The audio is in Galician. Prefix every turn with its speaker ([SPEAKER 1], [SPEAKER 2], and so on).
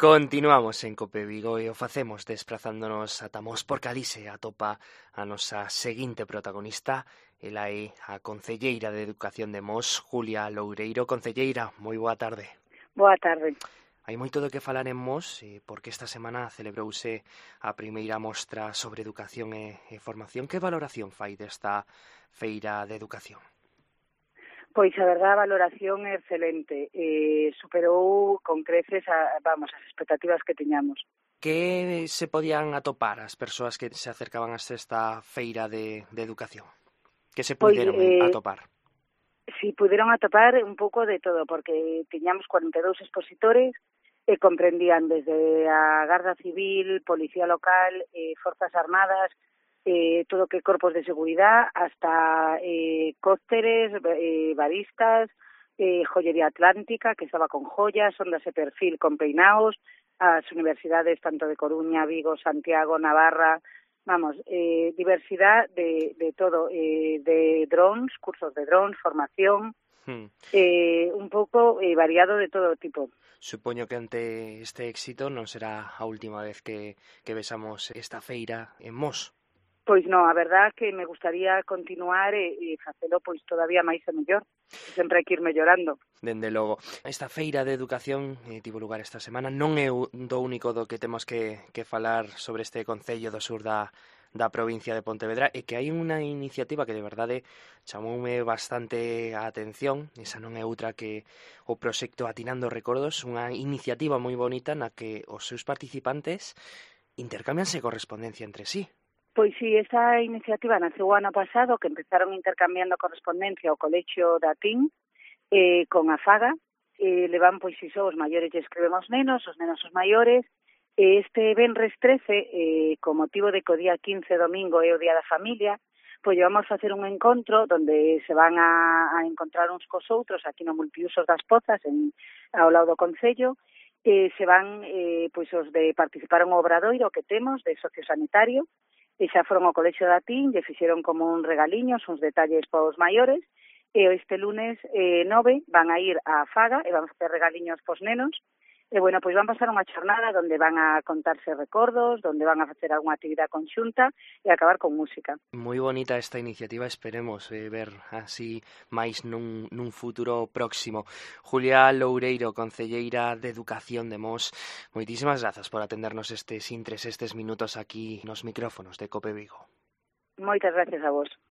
[SPEAKER 1] Continuamos en Cope Vigo e o facemos desplazándonos ata Mos por Calixe atopa a nosa seguinte protagonista. Ela é a concelleira de Educación de Mos, Julia Loureiro. Concelleira, moi boa tarde.
[SPEAKER 2] Boa tarde.
[SPEAKER 1] Hai moito do que falar en Mos porque esta semana celebrouse a primeira mostra sobre educación e formación. Que valoración fai desta feira de educación?
[SPEAKER 2] Pois a verdade, a valoración é excelente. Superou con creces as expectativas que tiñamos.
[SPEAKER 1] Que se podían atopar as persoas que se acercaban a esta feira de educación? Que se puderon atopar?
[SPEAKER 2] Si puderon atopar un pouco de todo, porque tiñamos 42 expositores e comprendían desde a Garda Civil, Policía Local, Forzas Armadas, todo que corpos de seguridad, hasta cócteles, baristas, joyería atlántica, que estaba con joyas, ondas de perfil con peinaos, as universidades tanto de Coruña, Vigo, Santiago, Navarra, diversidad de todo, de drones, cursos de drones, formación, un pouco variado de todo tipo.
[SPEAKER 1] Supoño que ante este éxito non será a última vez que vexamos esta feira en Mos.
[SPEAKER 2] Pois non, a verdad que me gustaría continuar e facelo pois todavía máis e mellor. Sempre hai que ir mellorando.
[SPEAKER 1] Dende logo. Esta feira de educación tivo lugar esta semana. Non é do único do que temos que falar sobre este concello do sur da provincia de Pontevedra, e que hai unha iniciativa que de verdade chamoume bastante a atención. Esa non é outra que o proxecto Atinando Recordos, unha iniciativa moi bonita na que os seus participantes intercambianse correspondencia entre sí.
[SPEAKER 2] Pois sí, esa iniciativa naceu o ano pasado, que empezaron intercambiando correspondencia ao Colexio da TIN con a FAGA. Levan, pois, iso, os maiores lle escribemos nenos, os nenos os maiores. Este venres 13, con motivo de que o día 15, domingo, é o Día da Familia, pois vamos a facer un encontro donde se van a encontrar uns cos outros aquí no Multiusos das Pozas, ao lado do Concello. Se van, pois, os de participaron o obradoiro que temos de sociosanitario, e xa foron ao Colexio da TIN, lle fixeron como un regaliños, uns detalles para os maiores, e este lunes 9 van a ir á Faga e van a facer regaliños pos nenos, e bueno, pois van pasar unha xornada onde van a contarse recordos, onde van a facer algunha actividade conxunta e acabar con música.
[SPEAKER 1] Moi bonita esta iniciativa, esperemos ver así máis nun futuro próximo. Julia Loureiro, concelleira de Educación de Mos, moitísimas grazas por atendernos estes minutos aquí nos micrófonos de Cope Vigo.
[SPEAKER 2] Moitas gracias a vos.